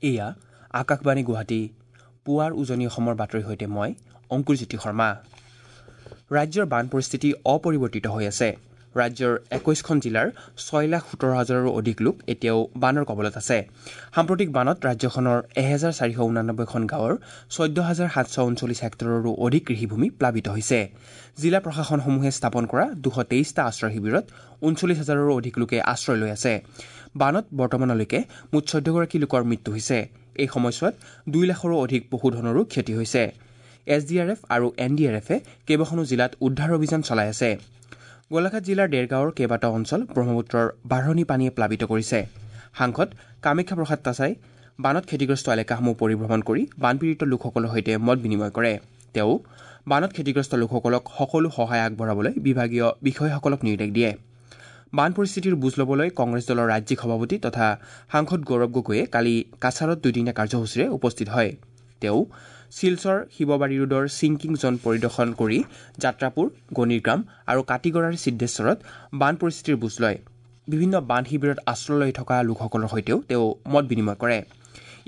এয়া আকাশবাণী গুৱাহাটী, পুৱাৰ উজনি অসমৰ বাতৰিৰ সৈতে মই অংকুৰজ্যোতি শৰ্মা। ৰাজ্যৰ বান পৰিস্থিতি অপৰিৱৰ্তিত হৈ আছে। ৰাজ্যৰ 21খন জিলাৰ 6,17,000ৰো অধিক লোক এতিয়াও বানৰ কবলত আছে। সাম্প্ৰতিক বানত ৰাজ্যখনৰ 1,489খন গাঁৱৰ 14,739 হেক্টৰৰো অধিক কৃষিভূমি প্লাবিত হৈছে। জিলা প্ৰশাসনসমূহে স্থাপন কৰা 223টা আশ্ৰয় শিবিৰত 39,000ৰো অধিক লোকে আশ্ৰয় লৈ আছে। বানত বৰ্তমানলৈকে মুঠ 14গৰাকী লোকৰ মৃত্যু হৈছে। এই সময়ছোৱাত 2 লাখৰো অধিক পশুধনৰো ক্ষতি হৈছে। এছ ডি আৰ এফ আৰু এন ডি আৰ এফে কেইবাখনো জিলাত উদ্ধাৰ অভিযান চলাই আছে। গোলাঘাট জিলাৰ দেৰগাঁৱৰ কেইবাটাও অঞ্চল ব্ৰহ্মপুত্ৰৰ বাঢ়নী পানীয়ে প্লাবিত কৰিছে। সাংসদ কামাখ্যা প্ৰসাদ তাছাই বানত ক্ষতিগ্ৰস্ত এলেকাসমূহ পৰিভ্ৰমণ কৰি বানপীড়িত লোকসকলৰ সৈতে মত বিনিময় কৰে। তেওঁ বানত ক্ষতিগ্ৰস্ত লোকসকলক সকলো সহায় আগবঢ়াবলৈ বিভাগীয় বিষয়াসকলক নিৰ্দেশ দিয়ে। বান পৰিস্থিতিৰ বুজ ল'বলৈ কংগ্ৰেছ দলৰ ৰাজ্যিক সভাপতি তথা সাংসদ গৌৰৱ গগৈয়ে কালি কাছাৰত দুদিনীয়া কাৰ্যসূচীৰে উপস্থিত হয়। তেওঁ শিলচৰ শিৱবাৰী ৰোডৰ ছিংকিং জ'ন পৰিদৰ্শন কৰি যাত্ৰাপুৰ, গণিৰগ্ৰাম আৰু কাটিগড়াৰ সিদ্ধেশ্বৰত বান পৰিস্থিতিৰ বুজ লয়। বিভিন্ন বান শিবিৰত আশ্ৰয় লৈ থকা লোকসকলৰ সৈতেও তেওঁ মত বিনিময় কৰে।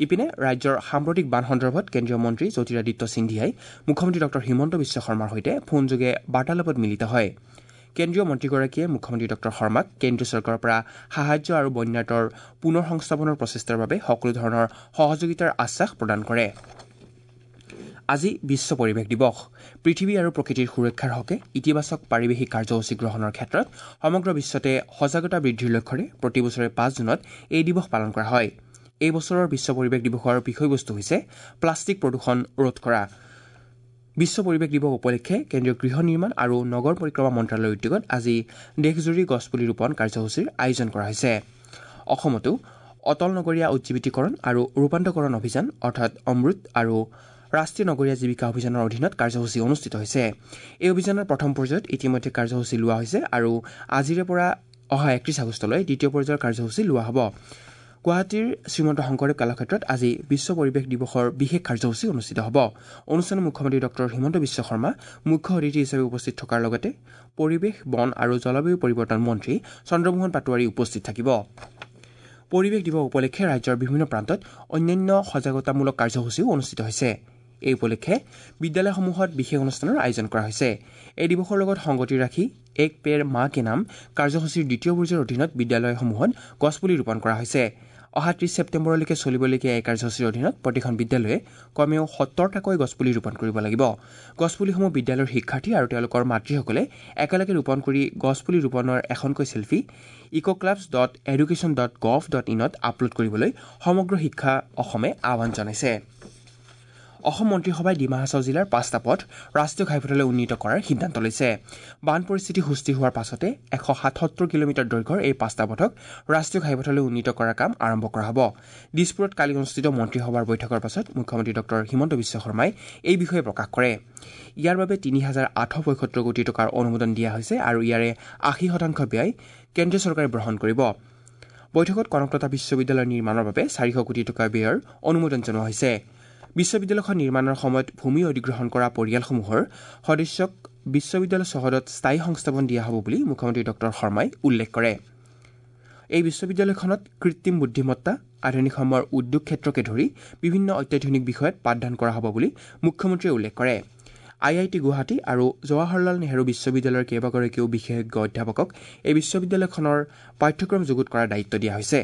ইপিনে ৰাজ্যৰ সাম্প্ৰতিক বান সন্দৰ্ভত কেন্দ্ৰীয় মন্ত্ৰী জ্যোতিৰাদিত্য সিন্ধিয়াই মুখ্যমন্ত্ৰী ডঃ হিমন্ত বিশ্ব শৰ্মাৰ সৈতে ফোনযোগে বাৰ্তালাপত মিলিত হয়। কেন্দ্ৰীয় মন্ত্ৰীগৰাকীয়ে মুখ্যমন্ত্ৰী ডঃ শৰ্মাক কেন্দ্ৰীয় চৰকাৰৰ পৰা সাহায্য আৰু বন্যাৰ্তৰ পুনৰ সংস্থাপনৰ প্ৰচেষ্টাৰ বাবে সকলো ধৰণৰ সহযোগিতাৰ আশ্বাস প্ৰদান কৰে। আজি বিশ্ব পৰিৱেশ দিৱস। পৃথিৱী আৰু প্ৰকৃতিৰ সুৰক্ষাৰ হকে ইতিবাচক পাৰিৱেশিক কাৰ্যসূচী গ্ৰহণৰ ক্ষেত্ৰত সমগ্ৰ বিশ্বতে সজাগতা বৃদ্ধিৰ লক্ষ্যৰে প্ৰতি বছৰে 5 জুনত এই দিৱস পালন কৰা হয়। এই বছৰৰ বিশ্ব পৰিৱেশ দিৱসৰ বিষয়বস্তু হৈছে প্লাষ্টিক প্ৰদূষণ ৰোধ কৰা। বিশ্ব পৰিৱেশ দিৱস উপলক্ষে কেন্দ্ৰীয় গৃহ নিৰ্মাণ আৰু নগৰ পৰিক্ৰমা মন্ত্ৰালয়ৰ উদ্যোগত আজি দেশজুৰি গছপুলি ৰোপণ কাৰ্যসূচীৰ আয়োজন কৰা হৈছে। অসমতো অটল নগৰীয়া উজ্জীৱিতীকৰণ আৰু ৰূপান্তৰকৰণ অভিযান অৰ্থাৎ অমৃত আৰু ৰাষ্ট্ৰীয় নগৰীয়া জীৱিকা অভিযানৰ অধীনত কাৰ্যসূচী অনুষ্ঠিত হৈছে। এই অভিযানৰ প্ৰথম পৰ্যায়ত ইতিমধ্যে কাৰ্যসূচী লোৱা হৈছে আৰু আজিৰে পৰা অহা 31 আগষ্টলৈ দ্বিতীয় পৰ্যায়ৰ কাৰ্যসূচী লোৱা হ'ব। গুৱাহাটীৰ শ্ৰীমন্ত শংকৰদেৱ কলাক্ষেত্ৰত আজি বিশ্ব পৰিৱেশ দিৱসৰ বিশেষ কাৰ্যসূচী অনুষ্ঠিত হ'ব। অনুষ্ঠানত মুখ্যমন্ত্ৰী ডঃ হিমন্ত বিশ্ব শৰ্মা মুখ্য অতিথি হিচাপে উপস্থিত থকাৰ লগতে পৰিৱেশ, বন আৰু জলবায়ু পৰিৱৰ্তন মন্ত্ৰী চন্দ্ৰমোহন পাটোৱাৰী উপস্থিত থাকিব। পৰিৱেশ দিৱস উপলক্ষে ৰাজ্যৰ বিভিন্ন প্ৰান্তত অন্যান্য সজাগতামূলক কাৰ্যসূচীও অনুষ্ঠিত হৈছে। এই উপলক্ষে বিদ্যালয়সমূহত বিশেষ অনুষ্ঠানৰ আয়োজন কৰা হৈছে। এই দিৱসৰ লগত সংগতি ৰাখি এক পেৰ মা কে নাম কাৰ্যসূচীৰ দ্বিতীয় পৰ্যায়ৰ অধীনত বিদ্যালয়সমূহত গছপুলি ৰোপণ কৰা হৈছে। অহা 30 ছেপ্টেম্বৰলৈকে চলিবলগীয়া এই কাৰ্যসূচীৰ অধীনত প্ৰতিখন বিদ্যালয়ে কমেও 70টাকৈ গছপুলি ৰোপণ কৰিব লাগিব। গছপুলিসমূহ বিদ্যালয়ৰ শিক্ষাৰ্থী আৰু তেওঁলোকৰ মাতৃসকলে একেলগে ৰোপণ কৰি গছপুলি ৰোপণৰ এখনকৈ চেলফি ecoclubs.education.gov.in upload কৰিবলৈ সমগ্ৰ শিক্ষা অসমে আহ্বান জনাইছে। অসম মন্ত্ৰীসভাই ডিমা হাছাও জিলাৰ 5টা পথ ৰাষ্ট্ৰীয় ঘাইপথলৈ উন্নীত কৰাৰ সিদ্ধান্ত লৈছে। বান পৰিস্থিতি সুস্থিৰ হোৱাৰ পাছতে 177 কিলোমিটাৰ দৈৰ্ঘ্যৰ এই 5টা পথক ৰাষ্ট্ৰীয় ঘাইপথলৈ উন্নীত কৰাৰ কাম আৰম্ভ কৰা হ'ব। দিছপুৰত কালি অনুষ্ঠিত মন্ত্ৰীসভাৰ বৈঠকৰ পাছত মুখ্যমন্ত্ৰী ডঃ হিমন্ত বিশ্ব শৰ্মাই এই বিষয়ে প্ৰকাশ কৰে। ইয়াৰ বাবে 3,875 কোটি টকাৰ অনুমোদন দিয়া হৈছে আৰু ইয়াৰে 80% ব্যয় কেন্দ্ৰীয় চৰকাৰে বহন কৰিব। বৈঠকত কনকলতা বিশ্ববিদ্যালয় নিৰ্মাণৰ বাবে 400 কোটি টকা ব্যয়ৰ অনুমোদন জনোৱা হৈছে। বিশ্ববিদ্যালয়খন নিৰ্মাণৰ সময়ত ভূমি অধিগ্ৰহণ কৰা পৰিয়ালসমূহৰ সদস্যক বিশ্ববিদ্যালয় চৌহদত স্থায়ী সংস্থাপন দিয়া হ'ব বুলি মুখ্যমন্ত্ৰী ডঃ শৰ্মাই উল্লেখ কৰে। এই বিশ্ববিদ্যালয়খনত কৃত্ৰিম বুদ্ধিমত্তা, আধুনিক সময়ৰ উদ্যোগ ক্ষেত্ৰকে ধৰি বিভিন্ন অত্যাধুনিক বিষয়ত পাঠদান কৰা হ'ব বুলি মুখ্যমন্ত্ৰীয়ে উল্লেখ কৰে। আই I T Guwahati আৰু জৱাহৰলাল নেহৰু বিশ্ববিদ্যালয়ৰ কেইবাগৰাকীও বিশেষজ্ঞ অধ্যাপকক এই বিশ্ববিদ্যালয়খনৰ পাঠ্যক্ৰম যুগুত কৰাৰ দায়িত্ব দিয়া হৈছে।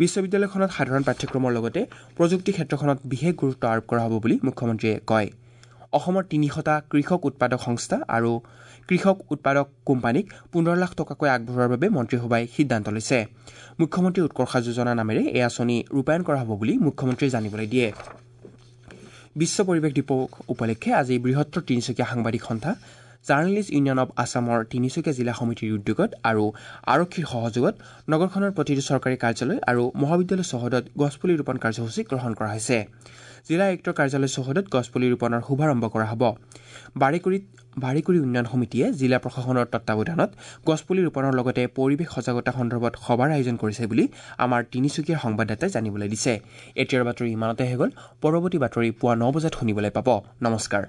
বিশ্ববিদ্যালয়খনত সাধাৰণ পাঠ্যক্ৰমৰ লগতে প্ৰযুক্তি ক্ষেত্ৰখনত বিশেষ গুৰুত্ব আৰোপ কৰা হ'ব বুলি মুখ্যমন্ত্ৰীয়ে কয়। অসমৰ 300টা কৃষক উৎপাদক সংস্থা আৰু কৃষক উৎপাদক কোম্পানীক 15 লাখ টকাকৈ আগবঢ়োৱাৰ বাবে মন্ত্ৰীসভাই সিদ্ধান্ত লৈছে। মুখ্যমন্ত্ৰী উৎকৰ্ষ যোজনা নামেৰে এই আঁচনি ৰূপায়ণ কৰা হ'ব বুলি মুখ্যমন্ত্ৰীয়ে জানিবলৈ দিয়ে। বিশ্ব পৰিৱেশ দিৱস উপলক্ষে আজি বৃহত্তৰ তিনিচুকীয়া সাংবাদিক সন্থা জাৰ্নেলিষ্ট ইউনিয়ন অৱ আছামৰ তিনিচুকীয়া জিলা সমিতিৰ উদ্যোগত আৰু আৰক্ষীৰ সহযোগত নগৰখনৰ প্ৰতিটো চৰকাৰী কাৰ্যালয় আৰু মহাবিদ্যালয় চৌহদত গছপুলি ৰোপণ কাৰ্যসূচী গ্ৰহণ কৰা হৈছে। জিলা আয়ুক্তৰ কাৰ্যালয় চৌহদত গছপুলি ৰোপণৰ শুভাৰম্ভ কৰা হ'ব। বাৰেকুৰি উন্নয়ন সমিতিয়ে জিলা প্ৰশাসনৰ তত্বাৱধানত গছপুলি ৰোপণৰ লগতে পৰিৱেশ সজাগতা সন্দৰ্ভত সভাৰ আয়োজন কৰিছে বুলি আমাৰ তিনিচুকীয়াৰ সংবাদদাতাই জানিবলৈ দিছে। এতিয়াৰ বাতৰি ইমানতে হৈ গ'ল। পৰৱৰ্তী বাতৰি পুৱা 9 বজাত শুনিবলৈ পাব। নমস্কাৰ।